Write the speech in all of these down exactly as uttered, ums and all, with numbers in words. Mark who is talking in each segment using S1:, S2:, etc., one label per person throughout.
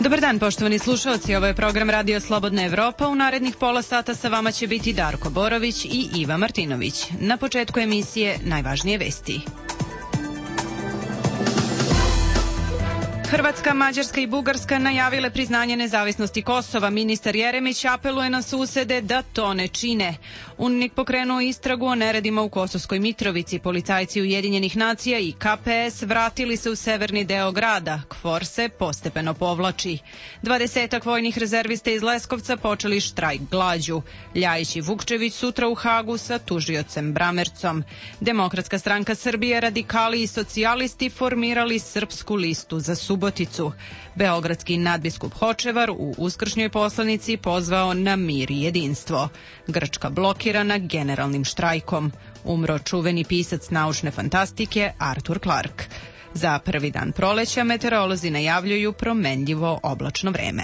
S1: Dobar dan, poštovani slušalci, ovo je program Radio Slobodna Evropa. U narednih pola sata sa vama će biti Darko Borović i Iva Martinović. Na početku emisije najvažnije vesti. Hrvatska, Mađarska i Bugarska najavile priznanje nezavisnosti Kosova. Ministar Jeremić apeluje na susede da to ne čine. UNMIK pokrenuo istragu o neredima u Kosovskoj Mitrovici. Policajci Ujedinjenih nacija i K P S vratili se u severni deo grada. KFOR se postepeno povlači. Dvadesetak vojnih rezervista iz Leskovca počeli štrajk glađu. Ljajić i Vukčević sutra u Hagu sa tužiocem Bramercom. Demokratska stranka Srbije, radikali i socijalisti formirali Srpsku listu za Suboticu. Beogradski nadbiskup Hočevar u uskršnjoj poslanici pozvao na mir i jedinstvo. Grčka blokirana generalnim štrajkom. Umro čuveni pisac naučne fantastike Arthur Clarke. Za prvi dan proleća meteorolozi najavljuju promenljivo oblačno vreme.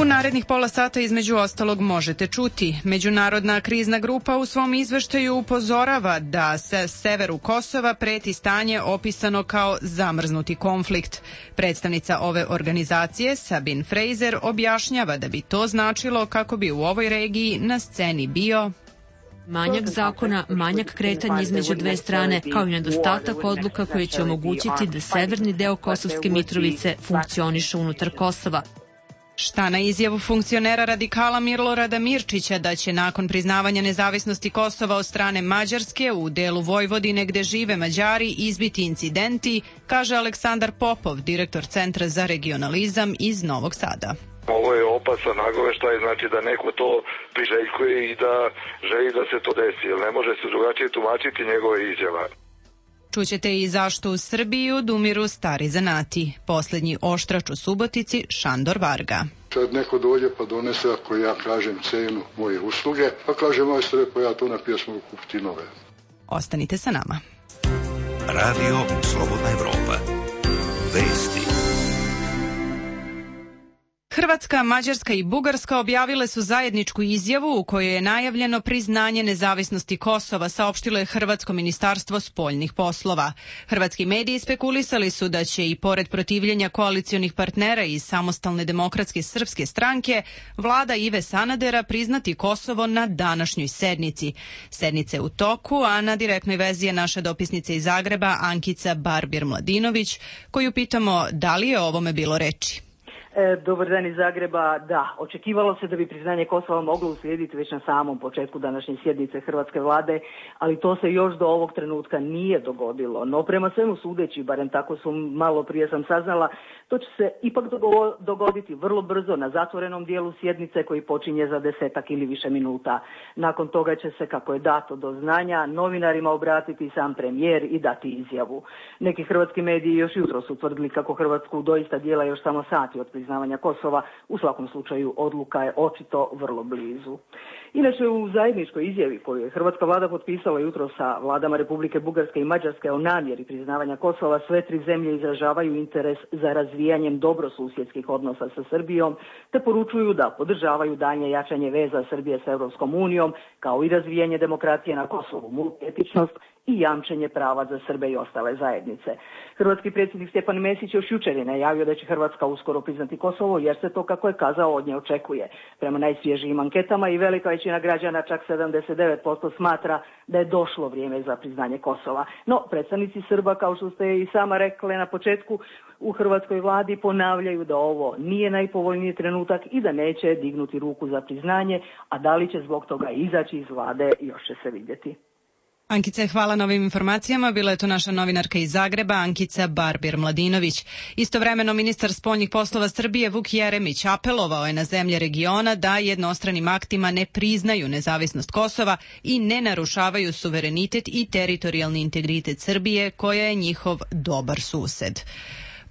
S1: U narednih pola sata između ostalog možete čuti. Međunarodna krizna grupa u svom izveštaju upozorava da se severu Kosova preti stanje opisano kao zamrznuti konflikt. Predstavnica ove organizacije, Sabine Fraser, objašnjava da bi to značilo kako bi u ovoj regiji na sceni bio
S2: manjak zakona, manjak kretanja između dve strane, kao i nedostatak odluka koje će omogućiti da severni deo Kosovske Mitrovice funkcioniše unutar Kosova.
S1: Šta na izjavu funkcionera radikala Milorada Mirčića da će nakon priznavanja nezavisnosti Kosova od strane Mađarske u delu Vojvodine gde žive Mađari izbiti incidenti, kaže Aleksandar Popov, direktor Centra za regionalizam iz Novog Sada.
S3: Ovo je opasan nagoveštaj, znači da neko to priželjkuje i da želi da se to desi, jer ne može se drugačije tumačiti njegove izjava.
S1: Čućete i zašto u Srbiji odumiru stari zanati. Poslednji oštrač u Subotici, Šandor Varga.
S4: Sad neko dođe pa donese, ako ja kažem cenu moje usluge, pa kaže majstore, pa ja to na pjesmu kupiti nove.
S1: Ostanite sa nama.
S5: Radio Slobodna Evropa. Vesti.
S1: Hrvatska, Mađarska i Bugarska objavile su zajedničku izjavu u kojoj je najavljeno priznanje nezavisnosti Kosova, saopštilo je Hrvatsko ministarstvo spoljnih poslova. Hrvatski mediji spekulisali su da će i pored protivljenja koalicionih partnera iz Samostalne demokratske srpske stranke, vlada Ive Sanadera priznati Kosovo na današnjoj sednici. Sednice u toku, a na direktnoj vezi je naša dopisnica iz Zagreba Ankica Barbir-Mladinović, koju pitamo da li je o ovome bilo reči.
S6: E, dobar dan iz Zagreba. Da, očekivalo se da bi priznanje Kosova moglo uslijediti već na samom početku današnje sjednice Hrvatske vlade, ali to se još do ovog trenutka nije dogodilo. No prema svemu sudeći, barem tako su malo prije sam saznala, to će se ipak dogoditi vrlo brzo na zatvorenom dijelu sjednice koji počinje za desetak ili više minuta. Nakon toga će se, kako je dato do znanja, novinarima obratiti sam premijer i dati izjavu. Neki hrvatski mediji još jutros su tvrdili kako Hrvatsku doista dijela još samo sati od priznavanja Kosova. U svakom slučaju odluka je očito vrlo blizu. Inače, u zajedničkoj izjavi koju je hrvatska vlada potpisala jutro sa vladama Republike Bugarske i Mađarske o namjeri priznavanja Kosova, sve tri zemlje izražavaju interes za razvijanjem dobrosusjedskih odnosa sa Srbijom, te poručuju da podržavaju daljnje jačanje veza Srbije sa Europskom unijom, kao i razvijanje demokratije na Kosovu, multietičnost i jamčenje prava za Srbe i ostale zajednice. Hrvatski predsjednik Stjepan Mesić još jučer je najavio da će Hrvatska uskoro priznati Kosovo, jer se to, kako je kazao, od nje očekuje. Prema najsvježijim anketama i velika većina građana, čak sedamdeset devet posto, smatra da je došlo vrijeme za priznanje Kosova. No, predstavnici Srba, kao što ste i sama rekli na početku, u hrvatskoj vladi ponavljaju da ovo nije najpovoljniji trenutak i da neće dignuti ruku za priznanje, a da li će zbog toga izaći iz vlade, još će se vidjeti.
S1: Ankice, hvala na ovim informacijama. Bila je to naša novinarka iz Zagreba, Ankica Barbir-Mladinović. Istovremeno, ministar spoljnih poslova Srbije Vuk Jeremić apelovao je na zemlje regiona da jednostranim aktima ne priznaju nezavisnost Kosova i ne narušavaju suverenitet i teritorijalni integritet Srbije, koja je njihov dobar sused.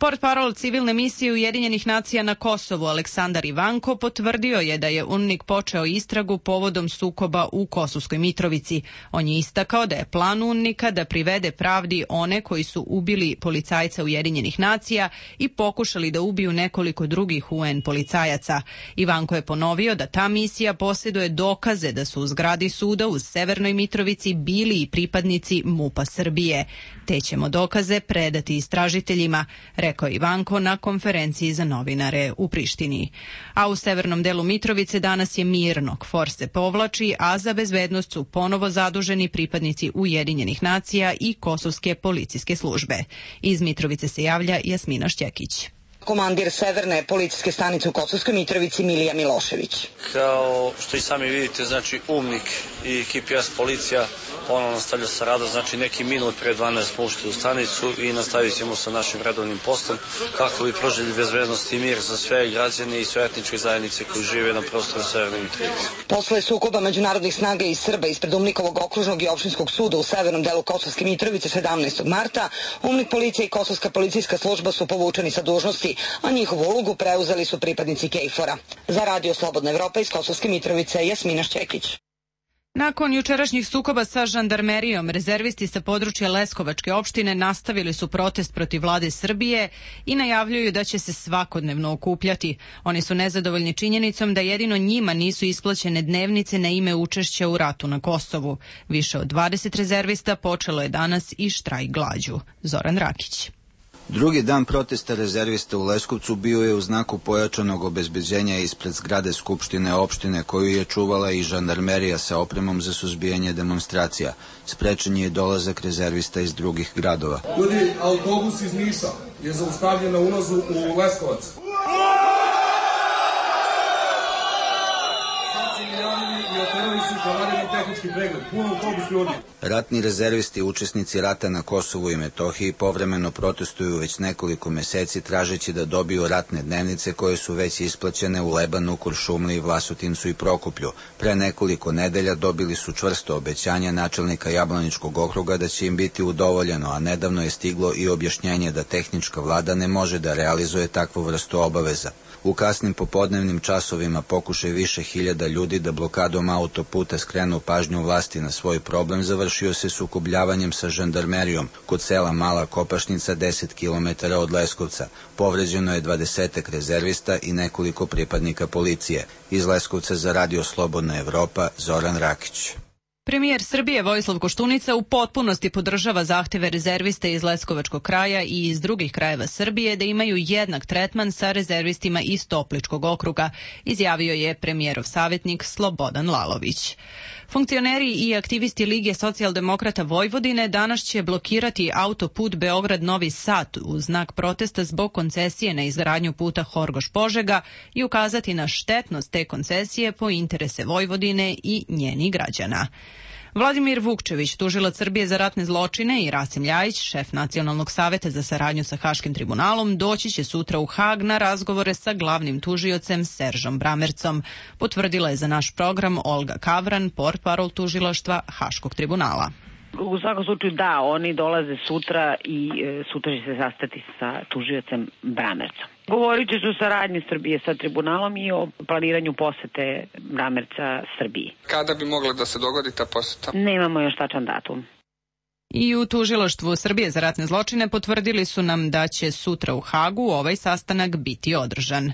S1: Portparol civilne misije Ujedinjenih nacija na Kosovu Aleksandar Ivanko potvrdio je da je UNMIK počeo istragu povodom sukoba u Kosovskoj Mitrovici. On je istakao da je plan UNMIK-a da privede pravdi one koji su ubili policajca Ujedinjenih nacija i pokušali da ubiju nekoliko drugih U N policajaca. Ivanko je ponovio da ta misija posjeduje dokaze da su u zgradi suda u Severnoj Mitrovici bili i pripadnici MUP-a Srbije. Te ćemo dokaze predati istražiteljima, rekao Ivanko na konferenciji za novinare u Prištini. A u severnom delu Mitrovice danas je mirno, KFOR se povlači, a za bezbednost su ponovo zaduženi pripadnici Ujedinjenih nacija i kosovske policijske službe. Iz Mitrovice se javlja Jasmina Šćekić.
S7: Komandir Severne policijske stanice u Kosovskoj Mitrovici Milija Milošević.
S8: Kao što i sami vidite, znači UNMIK i K P S policija ponovno nastavlja sa radom, znači neki minut pre dvanaest smo ušli u stanicu i nastavit ćemo sa našim redovnim postom kako bi pružili bezbednost i mir za sve građane i sve etničke zajednice koji žive na prostoru Severne Mitrovice.
S7: Posle sukoba međunarodnih snaga i Srba ispred UNMIK-ovog okružnog i opštinskog suda u severnom delu Kosovske Mitrovice sedamnaestog marta, UNMIK policija i Kosovska policijska služba su povučeni sa dužnosti, a njihovu ulogu preuzeli su pripadnici KFOR-a. Za Radio Slobodna Evropa iz Kosovske Mitrovice, Jasmina Šćekić.
S1: Nakon jučerašnjih sukoba sa žandarmerijom, rezervisti sa područja Leskovačke opštine nastavili su protest protiv vlade Srbije i najavljuju da će se svakodnevno okupljati. Oni su nezadovoljni činjenicom da jedino njima nisu isplaćene dnevnice na ime učešća u ratu na Kosovu. Više od dvadeset rezervista počelo je danas i štrajk glađu. Zoran Rakić.
S9: Drugi dan protesta rezervista u Leskovcu bio je u znaku pojačanog obezbeđenja ispred zgrade Skupštine opštine koju je čuvala i žandarmerija sa opremom za suzbijanje demonstracija. Sprečen je dolazak rezervista iz drugih gradova.
S10: Ljudi, autobus iz Niša je zaustavljen na ulazu u Leskovac.
S9: Ratni rezervisti, učesnici rata na Kosovu i Metohiji, povremeno protestuju već nekoliko meseci tražeći da dobiju ratne dnevnice koje su već isplaćene u Lebanu, Kuršumliji, Vlasotincu i Prokuplju. Pre nekoliko nedelja dobili su čvrsto obećanje načelnika Jablaničkog okruga da će im biti udovoljeno, a nedavno je stiglo i objašnjenje da tehnička vlada ne može da realizuje takvu vrstu obaveza. U kasnim popodnevnim časovima pokušaj više hiljada ljudi da blokadom autoputa skrenu pažnju vlasti na svoj problem završio se sukobljavanjem sa žandarmerijom kod sela Mala Kopašnica deset kilometara od Leskovca. Povređeno je dvadesetak rezervista i nekoliko pripadnika policije. Iz Leskovca za Radio Slobodna Evropa, Zoran Rakić.
S1: Premijer Srbije Vojislav Koštunica u potpunosti podržava zahteve rezervista iz Leskovačkog kraja i iz drugih krajeva Srbije da imaju jednak tretman sa rezervistima iz Topličkog okruga, izjavio je premijerov savjetnik Slobodan Lalović. Funkcioneri i aktivisti Lige socijaldemokrata Vojvodine danas će blokirati autoput Beograd-Novi Sad u znak protesta zbog koncesije na izgradnju puta Horgoš-Požega i ukazati na štetnost te koncesije po interese Vojvodine i njenih građana. Vladimir Vukčević, tužilac Srbije za ratne zločine, i Rasim Ljajić, šef Nacionalnog saveta za saradnju sa Haškim tribunalom, doći će sutra u Hag na razgovore sa glavnim tužiocem Seržom Bramercom, potvrdila je za naš program Olga Kavran, portparol tužilaštva Haškog tribunala.
S11: U svakom slučaju da, oni dolaze sutra i e, sutra će se sastati sa tužiocem Bramercom. Govorit će se o saradnji Srbije sa tribunalom i o planiranju posete Bramerca Srbiji.
S12: Kada bi mogla da se dogodi ta poseta?
S11: Nemamo još tačan datum.
S1: I u tužilaštvu Srbije za ratne zločine potvrdili su nam da će sutra u Hagu ovaj sastanak biti održan.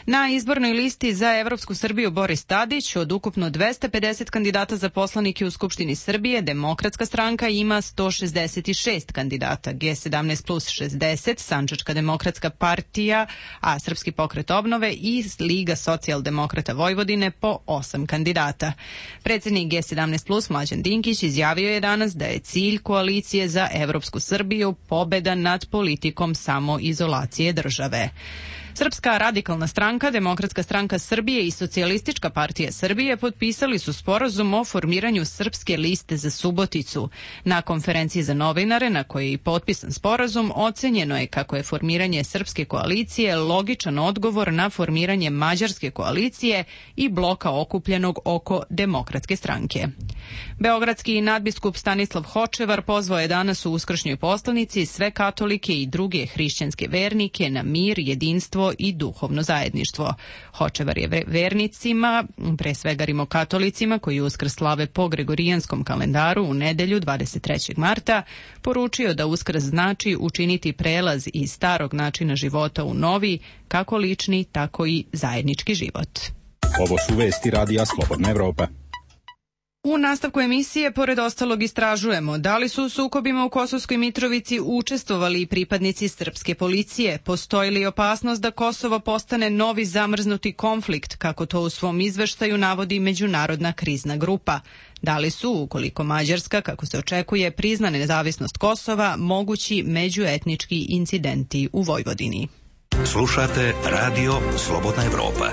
S1: Na izbornoj listi za Evropsku Srbiju Boris Tadić od ukupno dvesta pedeset kandidata za poslanike u Skupštini Srbije, Demokratska stranka ima sto šezdeset šest kandidata, G sedamnaest plus šezdeset, Sandžačka demokratska partija, a Srpski pokret obnove i Liga socijaldemokrata Vojvodine po osam kandidata. Predsjednik G sedamnaest plus Mlađan Dinkić izjavio je danas da je cilj koalicije za Evropsku Srbiju pobeda nad politikom samoizolacije države. Srpska radikalna stranka, Demokratska stranka Srbije i Socijalistička partija Srbije potpisali su sporazum o formiranju Srpske liste za Suboticu. Na konferenciji za novinare, na kojoj je i potpisan sporazum, ocenjeno je kako je formiranje Srpske koalicije logičan odgovor na formiranje Mađarske koalicije i bloka okupljenog oko Demokratske stranke. Beogradski nadbiskup Stanislav Hočevar pozvao je danas u uskršnjoj poslanici sve katolike i druge hrišćanske vernike na mir, jedinstvo i duhovno zajedništvo. Hočevar je vernicima, pre svega rimokatolicima koji Uskrs slave po gregorijanskom kalendaru u nedelju dvadeset trećeg marta, poručio da Uskrs znači učiniti prelaz iz starog načina života u novi, kako lični, tako i zajednički život.
S13: Ovo su vesti Radija Slobodna Evropa.
S1: U nastavku emisije, pored ostalog, istražujemo da li su u sukobima u Kosovskoj Mitrovici učestvovali i pripadnici srpske policije, postoji li opasnost da Kosovo postane novi zamrznuti konflikt, kako to u svom izveštaju navodi Međunarodna krizna grupa. Da li su, ukoliko Mađarska, kako se očekuje, prizna nezavisnost Kosova, mogući međuetnički incidenti u Vojvodini.
S5: Slušate Radio Slobodna Evropa.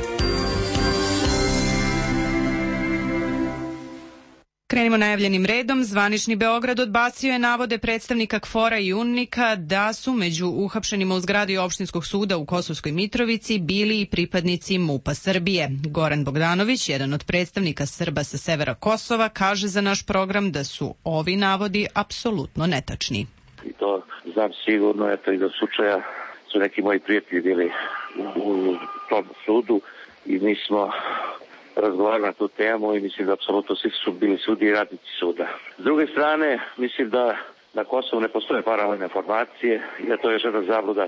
S1: Krenimo najavljenim redom. Zvanični Beograd odbacio je navode predstavnika KFOR-a i UNMIK-a da su među uhapšenima u zgradi Opštinskog suda u Kosovskoj Mitrovici bili i pripadnici MUP-a Srbije. Goran Bogdanović, jedan od predstavnika Srba sa severa Kosova, kaže za naš program da su ovi navodi apsolutno netačni.
S14: I to znam sigurno, eto i do slučaja su neki moji prijatelji bili u, u tom sudu i mi smo razgovarali na tu temu i mislim da apsolutno svi su bili sudi i radnici suda. S druge strane, mislim da na Kosovu ne postoje paralelne formacije i da to je još jedna zabluda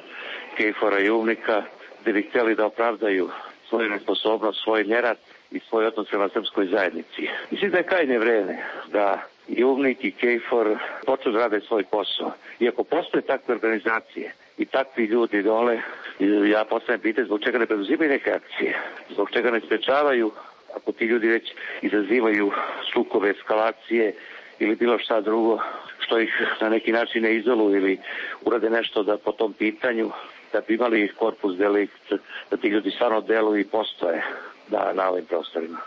S14: KFOR-a i UNMIK-a, gde bi htjeli da opravdaju svoju nesposobnost, svoj nerad i svoj odnos prema srpskoj zajednici. Mislim da je krajnje vreme da i UNMIK i KFOR počnu da rade svoj posao. Iako postoje takve organizacije i takvi ljudi dole, ja postavljam pitanje zbog čega ne preduzimaju neke akcije, zbog čega ne sprečavaju, ako ti ljudi već izazivaju sukobe, eskalacije ili bilo šta drugo, što ih na neki način ne izoluju ili urade nešto da po tom pitanju, da bi imali korpus delikt, da ti ljudi stvarno deluju i postoje da, na ovim prostorima.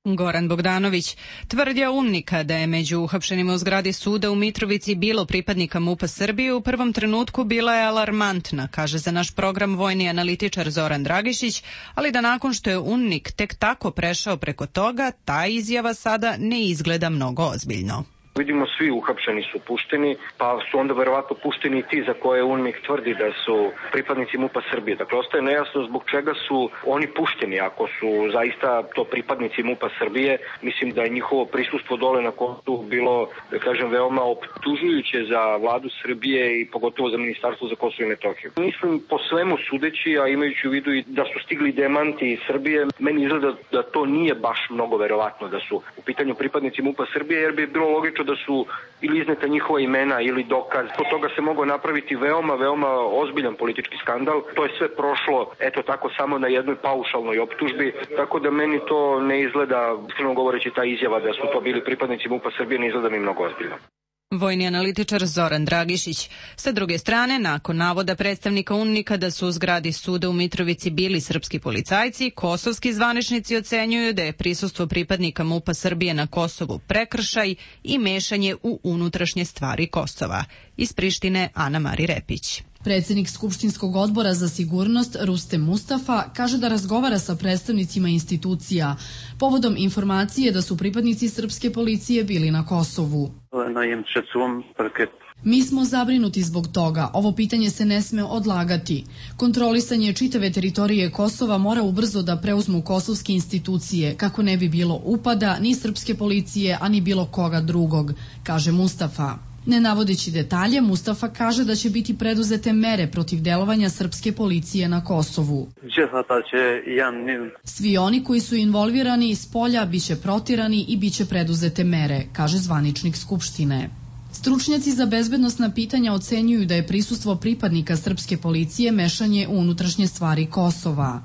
S1: Goran Bogdanović. Tvrdnja UNMIK-a da je među uhapšenima u zgradi suda u Mitrovici bilo pripadnika MUP-a Srbije u prvom trenutku bila je alarmantna, kaže za naš program vojni analitičar Zoran Dragišić, ali da nakon što je UNMIK tek tako prešao preko toga, ta izjava sada ne izgleda mnogo ozbiljno.
S15: Vidimo, svi uhapšeni su pušteni, pa su onda verovatno pušteni i ti za koje UNMIK tvrdi da su pripadnici MUP-a Srbije. Dakle, ostaje nejasno zbog čega su oni pušteni. Ako su zaista to pripadnici MUP-a Srbije, mislim da je njihovo prisustvo dole na Kosovu bilo, da kažem, veoma optužujuće za vladu Srbije i pogotovo za Ministarstvo za Kosovo i Metohiju. Mislim, po svemu sudeći, a imajući u vidu i da su stigli demanti iz Srbije, meni izgleda da to nije baš mnogo verovatno da su u pitanju pripadnici MUP-a Srbije, jer bi bilo logično da su ili izneta njihova imena ili dokaz. Od toga se mogao napraviti veoma, veoma ozbiljan politički skandal. To je sve prošlo, eto tako, samo na jednoj paušalnoj optužbi, tako da meni to ne izgleda, iskreno govoreći, ta izjava da su to bili pripadnici MUP-a Srbije ne izgleda mi mnogo ozbiljno.
S1: Vojni analitičar Zoran Dragišić. Sa druge strane, nakon navoda predstavnika UNMIK-a da su u zgradi suda u Mitrovici bili srpski policajci, kosovski zvaničnici ocenjuju da je prisustvo pripadnika MUP-a Srbije na Kosovu prekršaj i mešanje u unutrašnje stvari Kosova. Iz Prištine, Ana Mari Repić.
S16: Predsednik Skupštinskog odbora za sigurnost Rustem Mustafa kaže da razgovara sa predstavnicima institucija povodom informacije da su pripadnici srpske policije bili na Kosovu. Mi smo zabrinuti zbog toga. Ovo pitanje se ne sme odlagati. Kontrolisanje čitave teritorije Kosova mora ubrzo da preuzmu kosovske institucije, kako ne bi bilo upada ni srpske policije, ani bilo koga drugog, kaže Mustafa. Ne navodeći detalje, Mustafa kaže da će biti preduzete mere protiv delovanja srpske policije na Kosovu. Svi oni koji su involvirani iz polja biće protirani i biće preduzete mere, kaže zvaničnik Skupštine. Stručnjaci za bezbednosna pitanja ocenjuju da je prisustvo pripadnika srpske policije mešanje u unutrašnje stvari Kosova.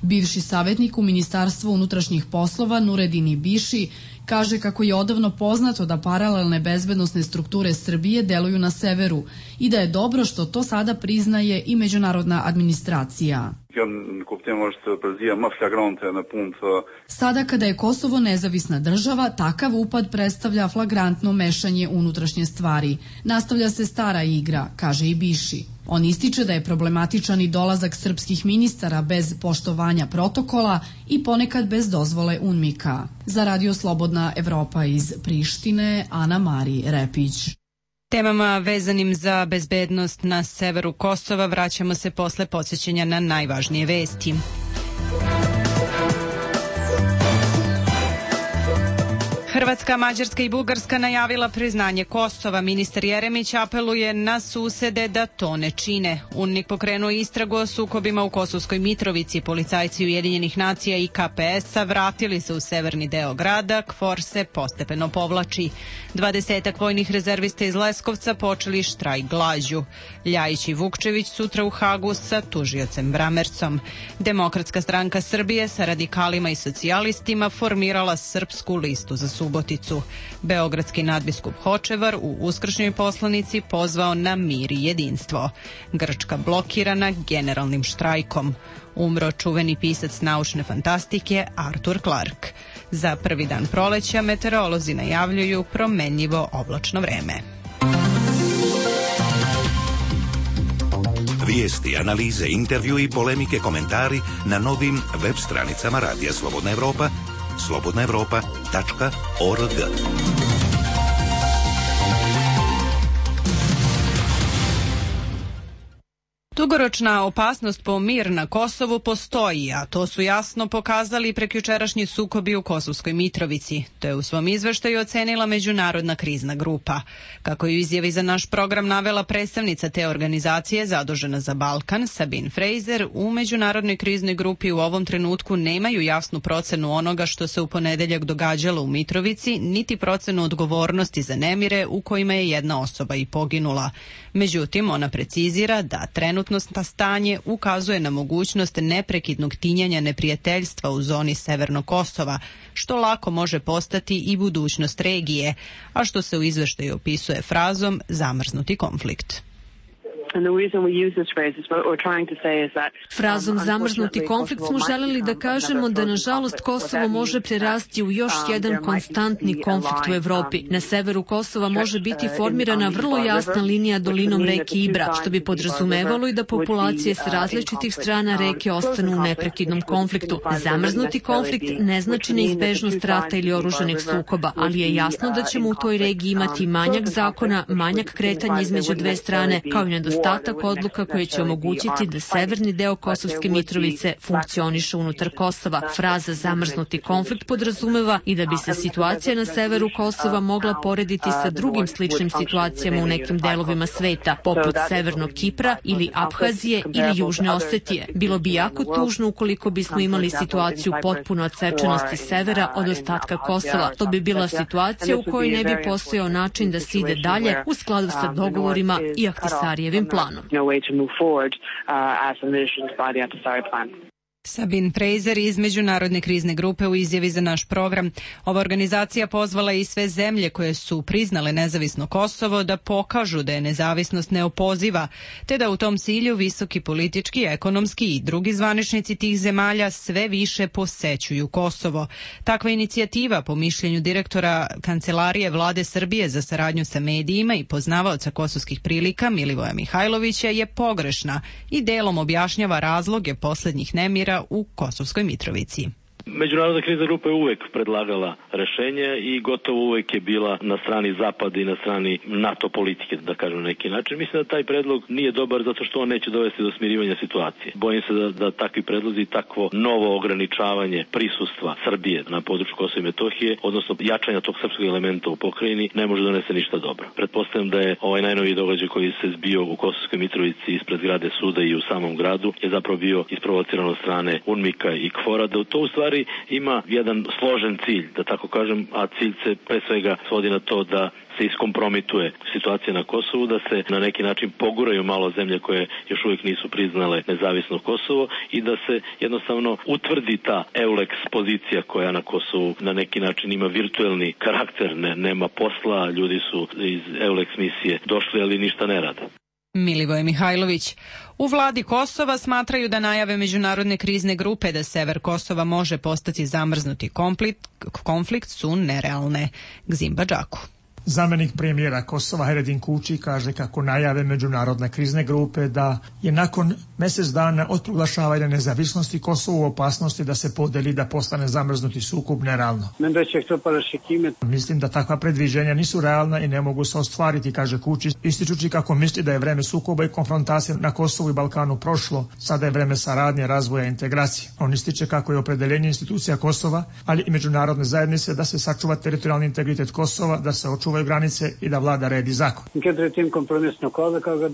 S16: Bivši savjetnik u Ministarstvu unutrašnjih poslova Nuredini Biši Kaže kako je odavno poznato da paralelne bezbednosne strukture Srbije deluju na severu i da je dobro što to sada priznaje i međunarodna administracija. Sada kada je Kosovo nezavisna država, takav upad predstavlja flagrantno mešanje unutrašnje stvari. Nastavlja se stara igra, kaže i Biši. On ističe da je problematičan i dolazak srpskih ministara bez poštovanja protokola i ponekad bez dozvole UNMIK-a. Za Radio Slobodna Evropa iz Prištine, Ana Mari Repić.
S1: Temama vezanim za bezbednost na severu Kosova vraćamo se posle podsjećanja na najvažnije vesti. Hrvatska, Mađarska i Bugarska najavila priznanje Kosova. Ministar Jeremić apeluje na susede da to ne čine. UNMIK pokrenuo istragu o sukobima u Kosovskoj Mitrovici. Policajci Ujedinjenih nacija i K P S-a vratili se u severni deo grada. KFOR se postepeno povlači. Dvadesetak vojnih rezervista iz Leskovca počeli štrajk glađu. Ljajić i Vukčević sutra u Hagu sa tužiocem Bramercom. Demokratska stranka Srbije sa radikalima i socijalistima formirala Srpsku listu za Suboticu. Beogradski nadbiskup Hočevar u uskršnjoj poslanici pozvao na mir i jedinstvo. Grčka blokirana generalnim štrajkom. Umro čuveni pisac naučne fantastike Arthur Clarke. Za prvi dan proleća meteorolozi najavljuju promenljivo oblačno vreme.
S5: Vijesti, analize, intervju i polemike, komentari na novim web stranicama Radija Slobodna Evropa, slobodna evropa tačka org.
S1: Dugoročna opasnost po mir na Kosovu postoji, a to su jasno pokazali prekjučerašnji sukobi u Kosovskoj Mitrovici. To je u svom izveštaju ocenila Međunarodna krizna grupa. Kako je u izjavi za naš program navela predstavnica te organizacije zadužena za Balkan, Sabine Fraser, u Međunarodnoj kriznoj grupi u ovom trenutku nemaju jasnu procenu onoga što se u ponedeljak događalo u Mitrovici, niti procenu odgovornosti za nemire u kojima je jedna osoba i poginula. Međutim, ona precizira da trenutno stanje ukazuje na mogućnost neprekidnog tinjanja neprijateljstva u zoni Severnog Kosova, što lako može postati i budućnost regije, a što se u izveštaju opisuje frazom zamrznuti konflikt.
S2: Frazom zamrznuti konflikt smo želeli da kažemo da nažalost Kosovo može prerasti u još jedan konstantni konflikt u Evropi. Na severu Kosova može biti formirana vrlo jasna linija dolinom reke Ibra, što bi podrazumevalo i da populacije s različitih strana reke ostanu u neprekidnom konfliktu. Zamrznuti konflikt ne znači neizbežnost rata ili oružanih sukoba, ali je jasno da ćemo u toj regiji imati manjak zakona, manjak kretanja između dve strane, kao i nedostatak odluka koje će omogućiti da severni deo Kosovske Mitrovice funkcioniše unutar Kosova. Fraza zamrznuti konflikt podrazumeva i da bi se situacija na severu Kosova mogla porediti sa drugim sličnim situacijama u nekim delovima sveta, poput Severnog Kipra ili Abhazije ili Južne Osetije. Bilo bi jako tužno ukoliko bismo imali situaciju potpuno odsečenosti severa od ostatka Kosova. To bi bila situacija u kojoj ne bi postojao način da se ide dalje u skladu sa dogovorima i Ahtisarijevim planom.
S1: Sabine Fraser iz Međunarodne krizne grupe u izjavi za naš program. Ova organizacija pozvala i sve zemlje koje su priznale nezavisno Kosovo da pokažu da je nezavisnost neopoziva, te da u tom cilju visoki politički, ekonomski i drugi zvaničnici tih zemalja sve više posećuju Kosovo. Takva inicijativa, po mišljenju direktora Kancelarije Vlade Srbije za saradnju sa medijima i poznavaoca kosovskih prilika Milivoja Mihajlovića, je pogrešna i delom objašnjava razloge poslednjih nemira u Kosovskoj Mitrovici.
S17: Međunarodna krizna grupa je uvek predlagala rešenje i gotovo uvek je bila na strani Zapada i na strani NATO politike, da kažem na neki način. Mislim da taj predlog nije dobar zato što on neće dovesti do smirivanja situacije. Bojim se da, da takvi predlozi i takvo novo ograničavanje prisustva Srbije na području Kosova i Metohije, odnosno jačanja tog srpskog elementa u pokrajini, ne može donesti ništa dobro. Pretpostavljam da je ovaj najnoviji događaj koji se zbio u Kosovskoj Mitrovici ispred zgrade suda i u samom gradu je zapravo bio isprovociran od strane UNMIK-a i KFOR-a, da to u stvari stvari ima jedan složen cilj, da tako kažem, a cilj se pre svega svodi na to da se iskompromituje situacija na Kosovu, da se na neki način poguraju malo zemlje koje još uvijek nisu priznale nezavisno Kosovo i da se jednostavno utvrdi ta EULEX pozicija koja na Kosovu na neki način ima virtuelni karakter, ne, nema posla, ljudi su iz EULEX misije došli, ali ništa ne rade.
S1: Milivoj Mihajlović. U vladi Kosova smatraju da najave međunarodne krizne grupe da sever Kosova može postati zamrznuti konflikt, konflikt su nerealne. Gzimba Džaku.
S18: Zamenik premijera Kosova Heredin Kuči kaže kako najave međunarodne krizne grupe da je nakon mjesec dana od proglašavanja nezavisnosti Kosovo u opasnosti da se podeli da postane zamrznuti sukob nerealno. Mislim da takva predviđenja nisu realna i ne mogu se ostvariti, kaže Kuči, ističući kako misli da je vreme sukoba i konfrontacije na Kosovu i Balkanu prošlo, sada je vreme saradnje, razvoja i integracije. On ističe kako je opredeljenje institucija Kosova, ali i međunarodne zajednice da se sačuva teritorijalni integritet Kosova, da se očuva granice i da vlada red i zakon.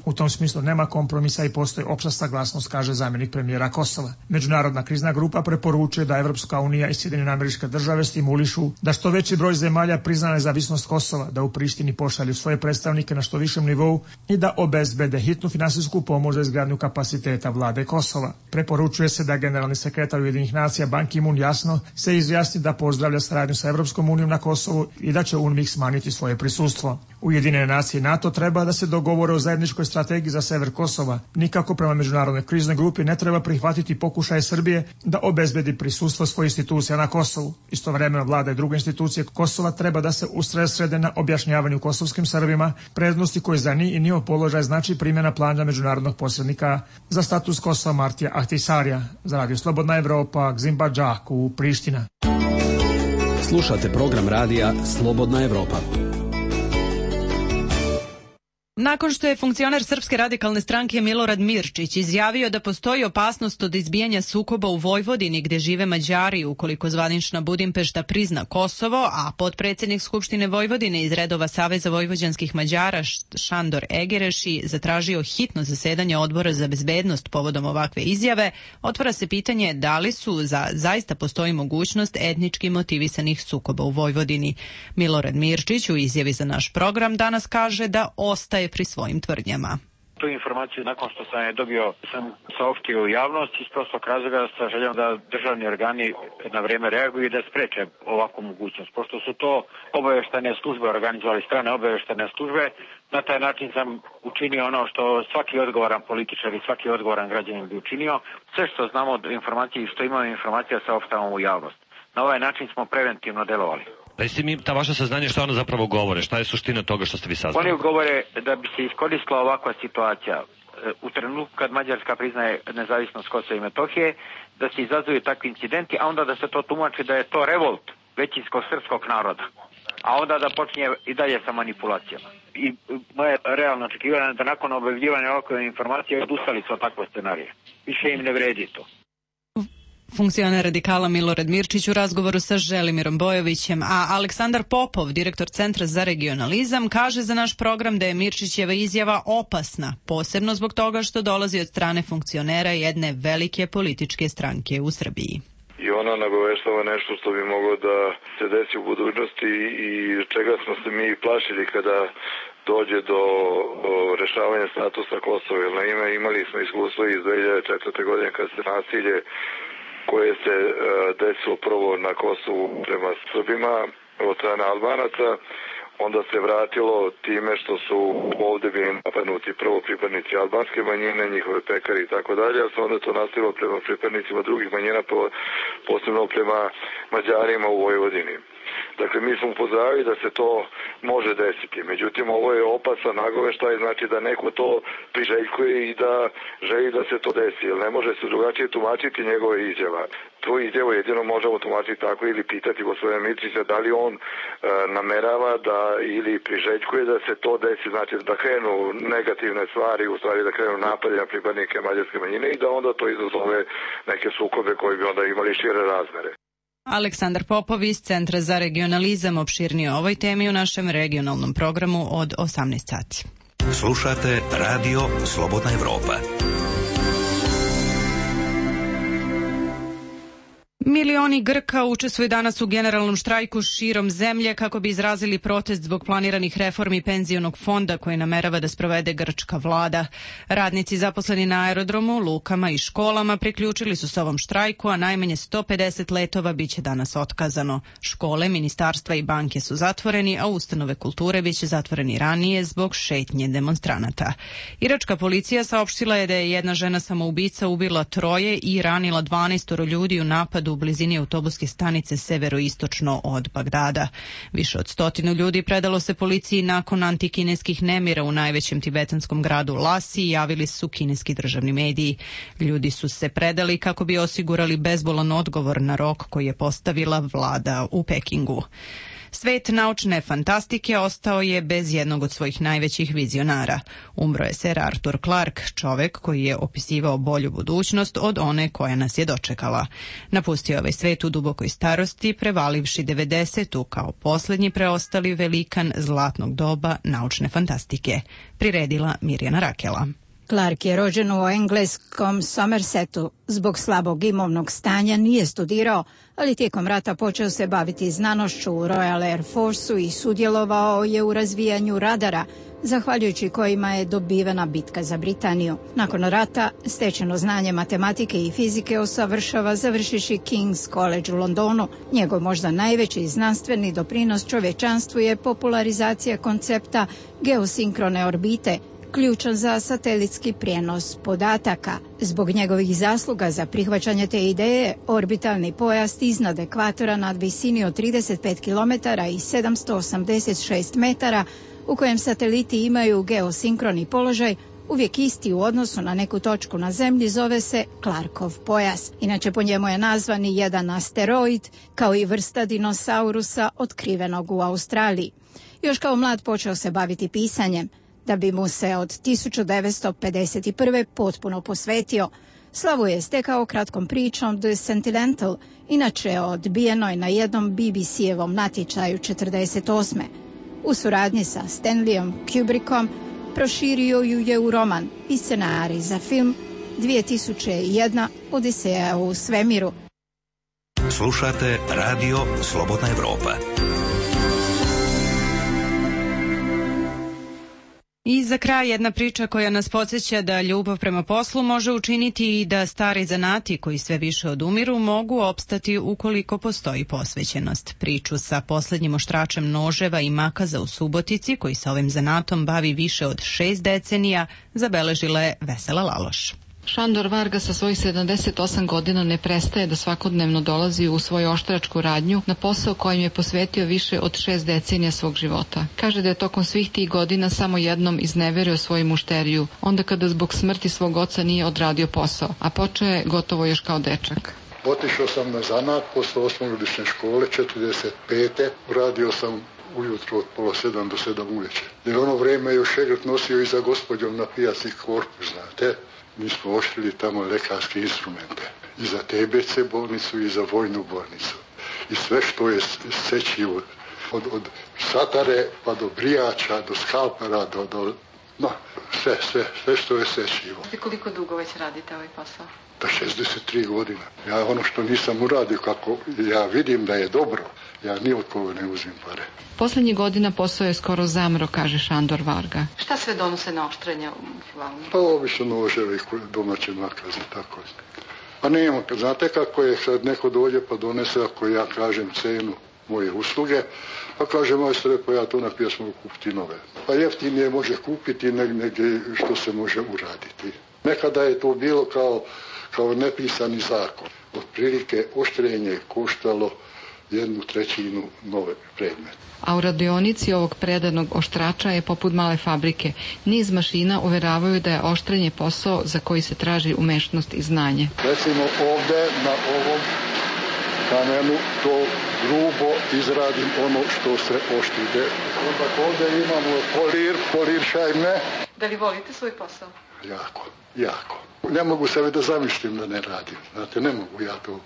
S18: U tom smislu nema kompromisa i postoji opšta saglasnost, kaže zamjenik premijera Kosova. Međunarodna krizna grupa preporučuje da Evropska unija i Sjedinjene Američke Države stimulišu da što veći broj zemalja prizna nezavisnost Kosova, da u Prištini pošalju svoje predstavnike na što višem nivou i da obezbede hitnu finansijsku pomoć za izgradnju kapaciteta vlade Kosova. Preporučuje se da generalni sekretar Ujedinjenih nacija Ban Ki-moon jasno se izjasni da pozdravlja saradnju sa Evropskom unijom na Kosovu i da će UNMIK smanjiti svoje prisustvo. Ujedinjene nacije i NATO treba da se dogovore o zajedničkoj strategiji za sever Kosova. Nikako prema međunarodnoj kriznoj grupi ne treba prihvatiti pokušaje Srbije da obezbedi prisustvo svojih institucija na Kosovu. Istovremeno vlada i druge institucije Kosova treba da se usredsrede na objašnjavanju kosovskim Srbima prednosti koje za njih i njihov položaj znači primjena plana međunarodnog posrednika za status Kosova Martija Ahtisarija. Za Radio Slobodna Evropa, Gzimba Džaku, Priština.
S13: Slušate program radija Slobodna Evropa.
S1: Nakon što je funkcioner Srpske radikalne stranke Milorad Mirčić izjavio da postoji opasnost od izbijanja sukoba u Vojvodini gde žive Mađari ukoliko zvanična Budimpešta prizna Kosovo, a potpredsjednik Skupštine Vojvodine iz redova Saveza vojvođanskih Mađara Šandor Egereši zatražio hitno zasedanje odbora za bezbednost povodom ovakve izjave, otvara se pitanje da li su za, zaista postoji mogućnost etnički motivisanih sukoba u Vojvodini. Milorad Mirčić u izjavi za naš program danas kaže da ostaje pri svojim tvrdnjama.
S19: Tu informaciju nakon što sam je dobio sam saopštio u javnost iz prostog razloga sa željom da državni organi na vrijeme reaguju i da spreče ovakvu mogućnost. Pošto su to obaveštane službe organizovali, strane obaveštane službe, na taj način sam učinio ono što svaki odgovoran političar i svaki odgovoran građanin bi učinio. Sve što znamo od informacije i što imamo informacija saopštavamo u javnost. Na ovaj način smo preventivno delovali.
S20: Recite mi ta vaša saznanja šta ono zapravo govore, šta je suština toga što ste vi saznali?
S19: Oni govore da bi se iskoristila ovakva situacija u trenutku kad Mađarska priznaje nezavisnost Kosova i Metohije, da se izazuju takvi incidenti, a onda da se to tumači da je to revolt većinskog srpskog naroda, a onda da počinje i dalje sa manipulacijama. I moje realno očekivanje je da nakon objavljivanja ovakve informacije odustali su od takve scenarije. Više im ne vredi to.
S1: Funkcioner radikala Milorad Mirčić u razgovoru sa Želimirom Bojovićem, a Aleksandar Popov, direktor Centra za regionalizam, kaže za naš program da je Mirčićeva izjava opasna, posebno zbog toga što dolazi od strane funkcionera jedne velike političke stranke u Srbiji.
S3: I ona nagoveštava nešto što bi moglo da se desi u budućnosti i čega smo se mi plašili kada dođe do rešavanja statusa Kosova. Jer naime imali smo iskustvo iz dve hiljade četvrte. godine kad se nasilje koje se uh, desilo prvo na Kosovu prema Srbima od strane Albanaca, onda se vratilo time što su ovdje bili napadnuti prvo pripadnici albanske manjine, njihove pekari i tako dalje, a se onda to nastavilo prema pripadnicima drugih manjina, posebno prema Mađarima u Vojvodini. Dakle, mi smo upozoravali da se to može desiti. Međutim, ovo je opasan nagoveštaj, znači da neko to priželjkuje i da želi da se to desi. Jer ne može se drugačije tumačiti njegove izjava. Tu izjavu jedino možemo tumačiti tako ili pitati gospodina Mirčića da li on e, namerava da ili priželjkuje da se to desi, znači da krenu negativne stvari, u stvari da krenu napade na pripadnike mađarske manjine i da onda to izazove neke sukobe koji bi onda imali šire razmere.
S1: Aleksandar Popov iz Centra za regionalizam opširnije o ovoj temi u našem regionalnom programu od osamnaest sati.
S5: Slušate Radio Slobodna Evropa.
S1: Milioni Grka učestvuju danas u generalnom štrajku širom zemlje kako bi izrazili protest zbog planiranih reformi penzionog fonda koji namerava da sprovede grčka vlada. Radnici zaposleni na aerodromu, lukama i školama priključili su se ovom štrajku, a najmanje sto pedeset letova biće danas otkazano. Škole, ministarstva i banke su zatvoreni, a ustanove kulture biće zatvoreni ranije zbog šetnje demonstranata. Iračka policija saopštila je da je jedna žena samoubica ubila troje i ranila dvanaestoro ljudi u napadu u blizini autobuske stanice severoistočno od Bagdada. Više od stotinu ljudi predalo se policiji nakon antikineskih nemira u najvećem tibetanskom gradu Lasi, javili su kineski državni mediji. Ljudi su se predali kako bi osigurali bezbolan odgovor na rok koji je postavila vlada u Pekingu. Svet naučne fantastike ostao je bez jednog od svojih najvećih vizionara. Umro je ser Arthur Clarke, čovek koji je opisivao bolju budućnost od one koja nas je dočekala. Napustio ovaj svet u dubokoj starosti, prevalivši devedesetu kao poslednji preostali velikan zlatnog doba naučne fantastike. Priredila Mirjana Rakela.
S21: Clarke je rođen u engleskom Somersetu. Zbog slabog imovnog stanja nije studirao, ali tijekom rata počeo se baviti znanošću u Royal Air Forceu i sudjelovao je u razvijanju radara, zahvaljujući kojima je dobivena bitka za Britaniju. Nakon rata stečeno znanje matematike i fizike usavršava završiši King's College u Londonu. Njegov možda najveći znanstveni doprinos čovječanstvu je popularizacija koncepta geosinkrone orbite, ključan za satelitski prijenos podataka. Zbog njegovih zasluga za prihvaćanje te ideje, orbitalni pojas iznad ekvatora nad visini od trideset pet kilometara i sedamsto osamdeset šest metara, u kojem sateliti imaju geosinkroni položaj, uvijek isti u odnosu na neku točku na zemlji, zove se Clarkov pojas. Inače, po njemu je nazvan i jedan asteroid, kao i vrsta dinosaurusa otkrivenog u Australiji. Još kao mlad počeo se baviti pisanjem, da bi mu se od tisuću devetsto pedeset prve potpuno posvetio. Slavu je stekao kratkom pričom The Sentimental, inače odbijenoj na jednom B B C-evom natječaju četrdeset osme. U suradnji sa Stanleyom Kubrickom proširio ju je u roman i scenarij za film dvije tisuće jedna Odiseja u svemiru.
S5: Slušate Radio Slobodna Evropa.
S1: I za kraj jedna priča koja nas podsjeća da ljubav prema poslu može učiniti i da stari zanati koji sve više odumiru mogu opstati ukoliko postoji posvećenost. Priču sa poslednjim oštračem noževa i makaza u Subotici, koji se ovim zanatom bavi više od šest decenija, zabeležila je Vesela Laloš.
S22: Šandor Varga sa svojih sedamdeset osam godina ne prestaje da svakodnevno dolazi u svoju oštračku radnju na posao kojim je posvetio više od šest decenija svog života. Kaže da je tokom svih tih godina samo jednom izneverio svoju mušteriju, onda kada zbog smrti svog oca nije odradio posao, a počeo je gotovo još kao dečak.
S4: Otišao sam na zanat posle osmogodišnje škole, četrdeset pete Radio sam ujutro od pola sedam do sedam uveče. Jer ono vreme još šegrt nosio i za gospođom na pijaci korpus, znate. Mi smo oštrili tamo lekarske instrumente. I za T B C bolnicu i za vojnu bolnicu. I sve što je sečivo. Od, od satare pa do brijača, do skalpera, do... do no, sve, sve, sve što je sečivo.
S22: I koliko dugo već radite ovaj posao?
S4: Da šezdeset tri godine. Ja ono što nisam uradio, kako ja vidim da je dobro, ja ni od koga ne uzim pare.
S22: Poslednjih godina posao je skoro zamro, kaže Šandor Varga. Šta sve donose na oštrenja u Hvalni?
S4: Pa obično noževi, domaće makaze, tako. Pa nema, znate kako je, kad neko dođe pa donese, ako ja kažem cenu moje usluge, pa kaže majstore, pa ja to na pjesmu kupiti nove. Pa jeftinije može kupiti negdje što se može uraditi. Nekada je to bilo kao, kao nepisani zakon. Otprilike oštrenje koštalo jednu trećinu nove predmete.
S22: A u radionici ovog predanog oštrača je poput male fabrike. Niz mašina uveravaju da je oštrenje posao za koji se traži umešnost i znanje.
S4: Recimo ovde na ovom kamenu to grubo izradim ono što se oštride. Onda ovde imamo polir, polir šajne.
S22: Da li volite svoj posao?
S4: Jako, jako. Ne mogu sebe da zamišljam da ne radim. Znate, ne mogu ja to.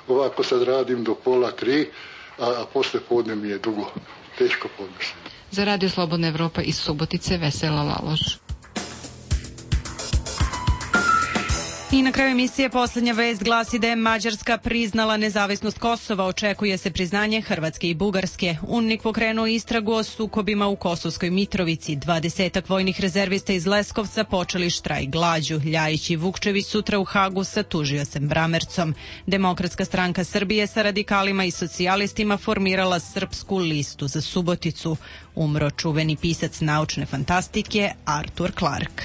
S4: Ovako sad radim do pola tri, a, a posle podne mi je dugo. Teško podmišljam.
S22: Za Radio Slobodna Evropa iz Subotice, Vesela Laloš.
S1: I na kraju emisije poslednja vest glasi da je Mađarska priznala nezavisnost Kosova. Očekuje se priznanje Hrvatske i Bugarske. UNMIK pokrenuo istragu o sukobima u Kosovskoj Mitrovici. Dvadesetak vojnih rezervista iz Leskovca počeli štrajk glađu. Ljajić i Vukčević sutra u Hagu sa tužiocem Bramercom. Demokratska stranka Srbije sa radikalima i socijalistima formirala Srpsku listu za Suboticu. Umro čuveni pisac naučne fantastike Arthur Clarke.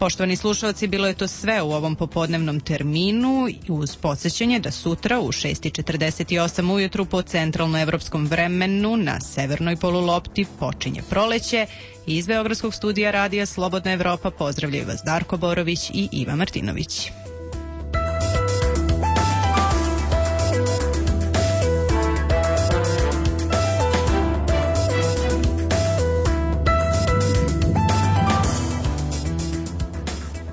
S1: Poštovani slušalci, bilo je to sve u ovom popodnevnom terminu uz podsjećanje da sutra u šest i četrdeset osam ujutru po centralnoevropskom vremenu na severnoj polulopti počinje proleće. Iz Beogradskog studija radija Slobodna Evropa pozdravljaju vas Darko Borović i Iva Martinović.